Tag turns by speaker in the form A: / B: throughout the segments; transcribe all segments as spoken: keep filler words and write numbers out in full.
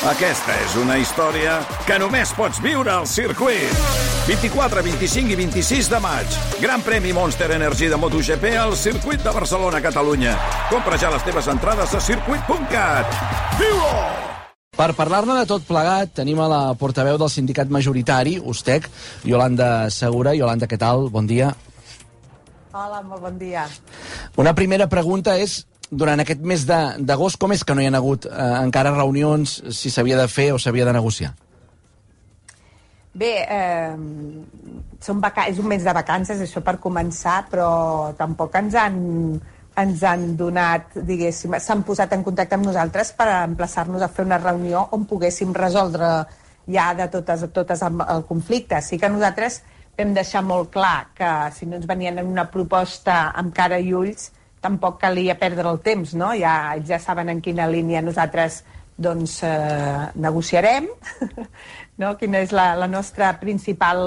A: Aquesta és una història que només pots viure al circuit. vint-i-quatre, vint-i-cinc i vint-i-sis de maig. Gran premi Monster Energy de MotoGP al circuit de Barcelona, Catalunya. Compra ja les teves entrades a circuit punt cat. Viu-ho!
B: Per parlar-ne de tot plegat, tenim a la portaveu del sindicat majoritari, Ustec, Yolanda Segura. Yolanda, què tal? Bon dia.
C: Hola, molt bon dia.
B: Una primera pregunta és, durant aquest mes d'agost, com és que no hi ha hagut eh, encara reunions, si s'havia de fer o s'havia de negociar?
C: Bé, eh, són vaca- és un mes de vacances, això per començar, però tampoc ens han, ens han donat, diguéssim, s'han posat en contacte amb nosaltres per emplaçar-nos a fer una reunió on poguéssim resoldre ja de totes, totes el conflicte. Sí que nosaltres vam deixar molt clar que si no ens venien en una proposta amb cara i ulls, tampoc calia perdre el temps, no? Ja, ells ja saben en quina línia nosaltres doncs, eh, negociarem, no? Quina és la, la nostra principal...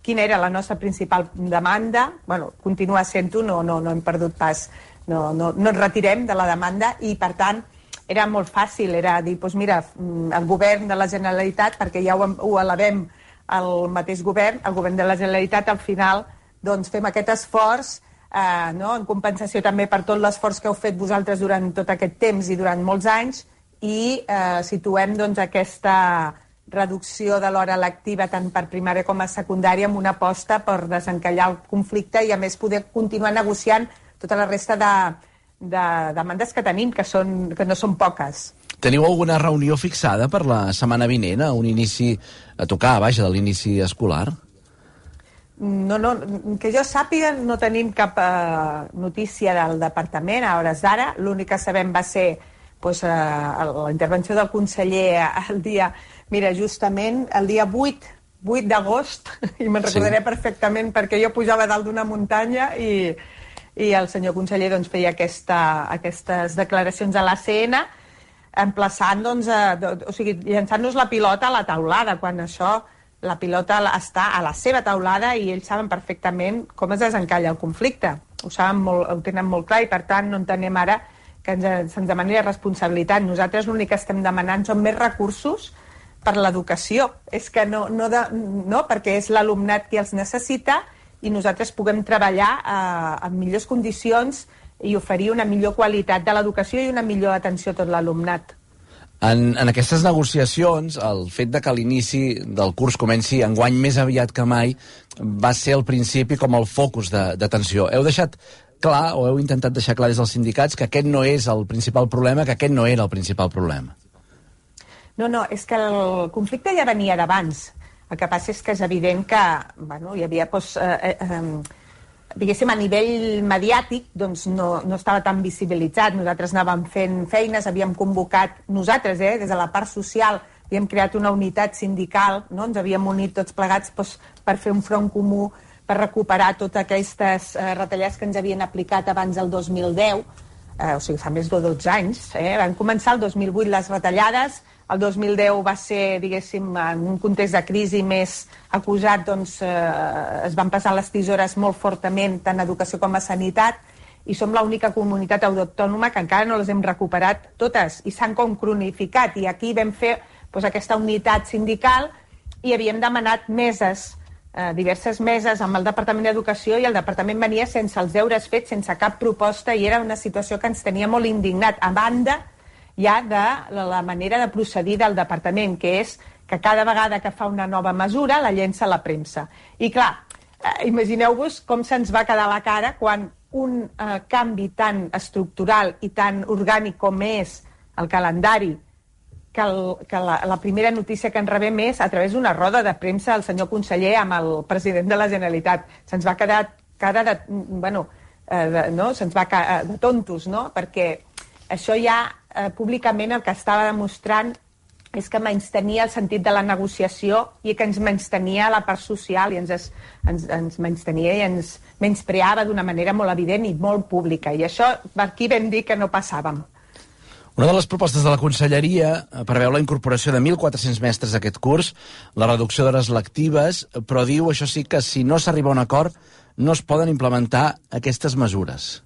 C: Quina era la nostra principal demanda? Bueno, continua sent-ho, no, no, no hem perdut pas, no, no, no ens retirem de la demanda i, per tant, era molt fàcil, era dir, doncs mira, el govern de la Generalitat, perquè ja ho, ho elevem al mateix govern, el govern de la Generalitat, al final, doncs fem aquest esforç, Eh, no? en compensació també per tot l'esforç que heu fet vosaltres durant tot aquest temps i durant molts anys, i eh, situem doncs, aquesta reducció de l'hora lectiva tant per primària com a secundària amb una aposta per desencallar el conflicte i a més poder continuar negociant tota la resta de, de demandes que tenim, que, són, que no són poques.
B: Teniu alguna reunió fixada per la setmana vinent, a un inici a tocar, vaja, de l'inici escolar?
C: No, no, que jo sàpiga no tenim cap eh, notícia del departament a hores d'ara. L'únic que sabem va ser pues, eh, la intervenció del conseller el dia, mira, justament el dia vuit d'agost, i me'n recordaré sí. perfectament perquè jo pujava dalt d'una muntanya i, i el senyor conseller doncs, feia aquesta, aquestes declaracions a l'A C N emplaçant, doncs, a, o sigui, llançant-nos la pilota a la taulada, quan això... La pilota està a la seva taulada i ells saben perfectament com es desencalla el conflicte. Ho saben molt, ho tenen molt clar i, per tant, no entenem ara que ens, se'ns demani la responsabilitat. Nosaltres l'únic que estem demanant són més recursos per l'educació. És que no, no, de, no perquè és l'alumnat qui els necessita i nosaltres puguem treballar eh, en millors condicions i oferir una millor qualitat de l'educació i una millor atenció a tot l'alumnat.
B: En, en aquestes negociacions, el fet de que l'inici del curs comenci enguany més aviat que mai va ser al principi com el focus d'atenció. Heu deixat clar, o heu intentat deixar clar des dels sindicats, que aquest no és el principal problema, que aquest no era el principal problema.
C: No, no, és que el conflicte ja venia d'abans. El que passa és que és evident que bueno, hi havia... Doncs, eh, eh, diguéssim, a nivell mediàtic doncs no, no estava tan visibilitzat. Nosaltres anàvem fent feines, havíem convocat nosaltres, eh, des de la part social, havíem creat una unitat sindical, no? Ens havíem unit tots plegats doncs, per fer un front comú, per recuperar totes aquestes eh, retallades que ens havien aplicat abans del dos mil deu, eh, o sigui, fa més de dotze anys. Eh? Van començar el dos mil vuit les retallades, el dos mil deu va ser, diguéssim, en un context de crisi més acusat, doncs eh, es van passar les tisores molt fortament, tant a educació com a sanitat, i som l'única comunitat autònoma que encara no les hem recuperat totes, i s'han com cronificat, i aquí vam fer doncs, aquesta unitat sindical i havíem demanat meses, eh, diverses meses amb el Departament d'Educació, i el Departament venia sense els deures fets, sense cap proposta, i era una situació que ens tenia molt indignat, a banda ja de la manera de procedir del departament, que és que cada vegada que fa una nova mesura la llença a la premsa. I clar, eh, imagineu-vos com se'ns va quedar la cara quan un eh, canvi tan estructural i tan orgànic com és el calendari, que, el, que la, la primera notícia que en rebem és a través d'una roda de premsa del senyor conseller amb el president de la Generalitat. Se'ns va quedar cara de... Bueno, eh, de, no? Se'ns va quedar de tontos, no? Perquè això ja eh, públicament el que estava demostrant és que menystenia el sentit de la negociació i que ens menystenia la part social i ens, ens, ens menystenia i ens menyspreava d'una manera molt evident i molt pública. I això per aquí vam dir que no passàvem.
B: Una de les propostes de la Conselleria preveu la incorporació de mil quatre-cents mestres a aquest curs, la reducció d'hores lectives, però diu, això sí, que si no s'arriba a un acord no es poden implementar aquestes mesures.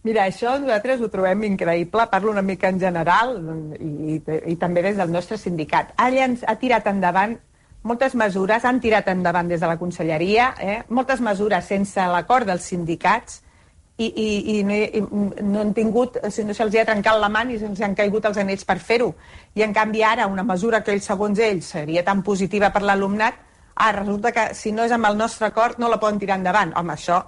C: Mira, això nosaltres ho trobem increïble, parlo una mica en general i, i, i també des del nostre sindicat. Allà ens ha tirat endavant moltes mesures, han tirat endavant des de la Conselleria, eh? moltes mesures sense l'acord dels sindicats i, i, i, no, i no han tingut, no se'ls ha trencat la mà ni se'ls han caigut els anells per fer-ho. I en canvi ara una mesura que ells, segons ells, seria tan positiva per l'alumnat, ah, resulta que si no és amb el nostre acord no la poden tirar endavant. Home, això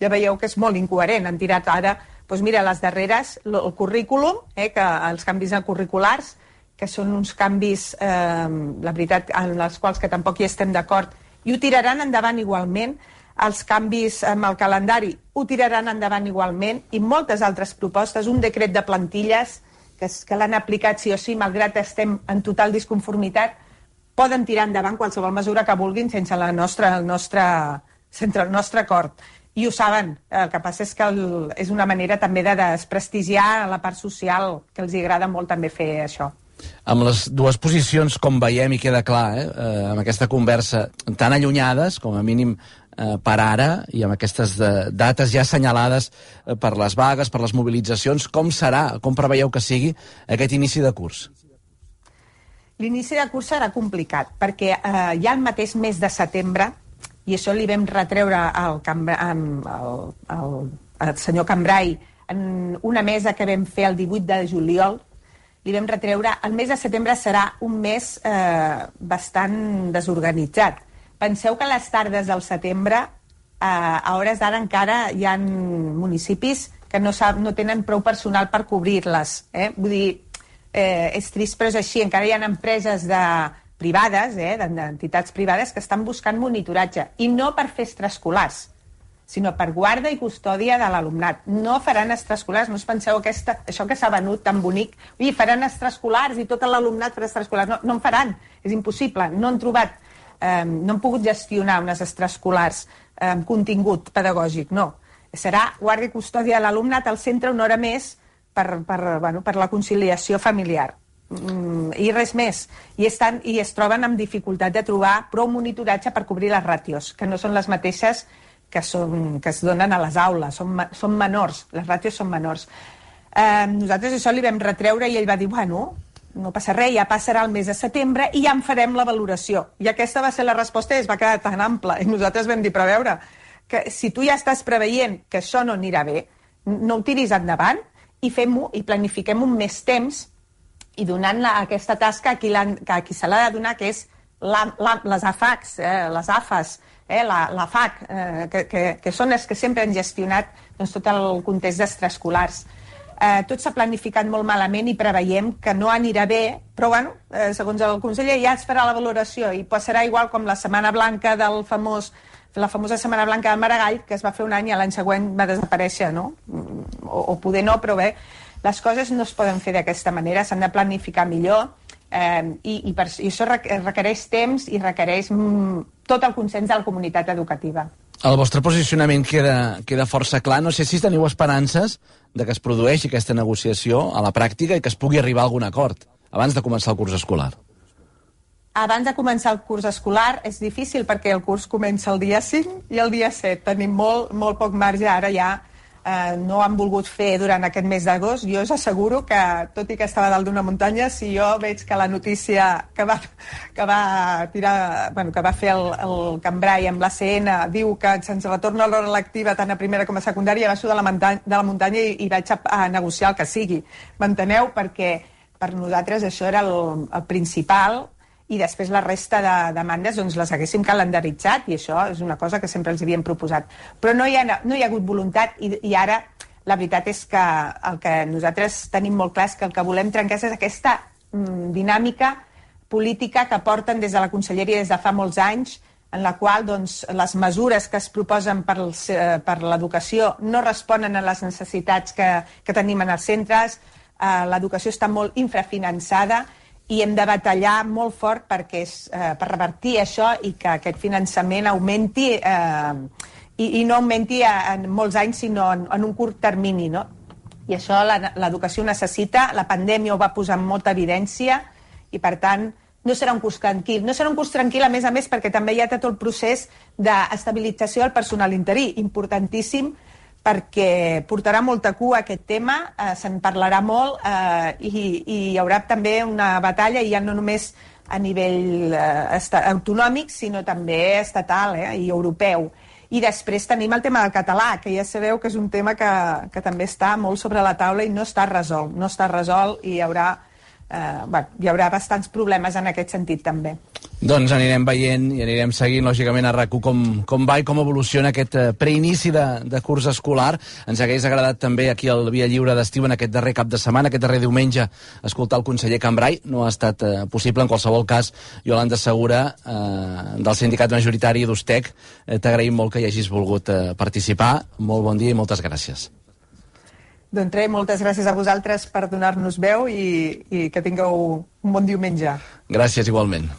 C: ja veieu que és molt incoherent. Han tirat ara, doncs mira, les darreres, el currículum, eh, que els canvis curriculars, que són uns canvis, eh, la veritat, en els quals que tampoc hi estem d'acord, i ho tiraran endavant igualment. Els canvis amb el calendari ho tiraran endavant igualment, i moltes altres propostes, un decret de plantilles que, que l'han aplicat sí o sí, malgrat estem en total disconformitat, poden tirar endavant qualsevol mesura que vulguin sense, la nostra, el, nostre, sense el nostre acord. I ho saben, el que passa és que el, és una manera també de desprestigiar la part social, que els agrada molt també fer això.
B: Amb les dues posicions, com veiem i queda clar, eh, eh, amb aquesta conversa tan allunyades, com a mínim eh, per ara, i amb aquestes de, dates ja assenyalades eh, per les vagues, per les mobilitzacions, com serà, com preveieu que sigui aquest inici de curs?
C: L'inici de curs serà complicat, perquè eh, ja el mateix mes de setembre, i això li vam retreure al, al, al, al senyor Cambrai en una mesa que vam fer el divuit de juliol, li vam retreure, el mes de setembre serà un mes eh, bastant desorganitzat. Penseu que a les tardes del setembre, eh, a hores d'ara encara hi ha municipis que no, sap, no tenen prou personal per cobrir-les. Eh? Vull dir, eh, és trist, però és així. Encara hi ha empreses de, privades, eh, d'entitats privades, que estan buscant monitoratge. I no per fer extraescolars, sinó per guarda i custòdia de l'alumnat. No faran extraescolars, no us penseu aquesta, això que s'ha venut tan bonic. Ui, faran extraescolars i tot l'alumnat farà extraescolars. No, no en faran, és impossible. No han trobat, eh, no han pogut gestionar unes extraescolars amb eh, contingut pedagògic, no. Serà guarda i custòdia de l'alumnat al centre una hora més per, per, bueno, per la conciliació familiar. Mm, i res més. I, estan, I es troben amb dificultat de trobar prou monitoratge per cobrir les ràtios, que no són les mateixes que, són, que es donen a les aules, són, són menors, les ràtios són menors. Eh, nosaltres això li vam retreure i ell va dir, bueno, no passa res, ja passarà el mes de setembre i ja en farem la valoració. I aquesta va ser la resposta i es va quedar tan ampla. I nosaltres vam dir, però a veure, que si tu ja estàs preveient que això no anirà bé, no ho tiris endavant i fem-ho i planifiquem un més temps i donant la, aquesta tasca a qui, a qui se l'ha de donar, que és la, la, les A F A Cs, eh, les A F As, eh, la, la F A C, eh, que, que, que són les que sempre han gestionat doncs, tot el context d'extraescolars. Eh, tot s'ha planificat molt malament i preveiem que no anirà bé, però bueno, eh, segons el conseller ja es farà la valoració i passarà igual com la Setmana Blanca del famós, la famosa Setmana Blanca de Maragall, que es va fer un any i l'any següent va desaparèixer, no? O, o poder no, però bé, les coses no es poden fer d'aquesta manera, s'han de planificar millor eh, i, i, per, i això requereix temps i requereix mm, tot el consens de la comunitat educativa.
B: El vostre posicionament queda, queda força clar. No sé si teniu esperances de que es produeixi aquesta negociació a la pràctica i que es pugui arribar a algun acord abans de començar el curs escolar.
C: Abans de començar el curs escolar és difícil perquè el curs comença el dia cinc i el dia set. Tenim molt, molt poc marge. Ara ja eh, no han volgut fer durant aquest mes d'agost. Jo us asseguro que, tot i que estava dalt d'una muntanya, si jo veig que la notícia que va, que va, tirar, bueno, que va fer el, el Cambrai amb l'A C N diu que se'ns retorna l'hora lectiva tant a primera com a secundària, baixo de la muntanya, de la muntanya i, i vaig a, a negociar el que sigui. M'enteneu? Perquè per nosaltres això era el, el principal i després la resta de demandes doncs les haguéssim calendaritzat i això és una cosa que sempre els havíem proposat. Però no hi ha, no hi ha hagut voluntat i, i ara la veritat és que el que nosaltres tenim molt clar és que el que volem trencar és aquesta mm, dinàmica política que porten des de la Conselleria des de fa molts anys en la qual doncs, les mesures que es proposen per, els, eh, per l'educació no responen a les necessitats que, que tenim en els centres, eh, l'educació està molt infrafinançada i hem de batallar molt fort perquè és, eh, per revertir això i que aquest finançament augmenti eh, i, i no augmenti en molts anys sinó en, en un curt termini, no? I això l'educació necessita, la pandèmia ho va posar en molta evidència i per tant no serà un curs tranquil. No serà un curs tranquil a més a més perquè també hi ha tot el procés d'estabilització del personal interí, importantíssim perquè portarà molta cua aquest tema, eh, se'n parlarà molt eh, i, i hi haurà també una batalla, ja no només a nivell eh, autonòmic, sinó també estatal eh, i europeu. I després tenim el tema del català, que ja sabeu que és un tema que, que també està molt sobre la taula i no està resolt. No està resolt i hi haurà, eh, bueno, hi haurà bastants problemes en aquest sentit també.
B: Doncs anirem veient i anirem seguint, lògicament, a RAC u com, com va i com evoluciona aquest eh, preinici de, de curs escolar. Ens hagués agradat també aquí al Via Lliure d'Estiu en aquest darrer cap de setmana, aquest darrer diumenge, escoltar el conseller Cambray. No ha estat eh, possible. En qualsevol cas, Iolanda Segura, eh, del sindicat majoritari d'Ustec, eh, t'agraïm molt que hi hagis volgut eh, participar. Molt bon dia i moltes gràcies.
C: Doncs res, moltes gràcies a vosaltres per donar-nos veu i, i que tingueu un bon diumenge.
B: Gràcies, igualment.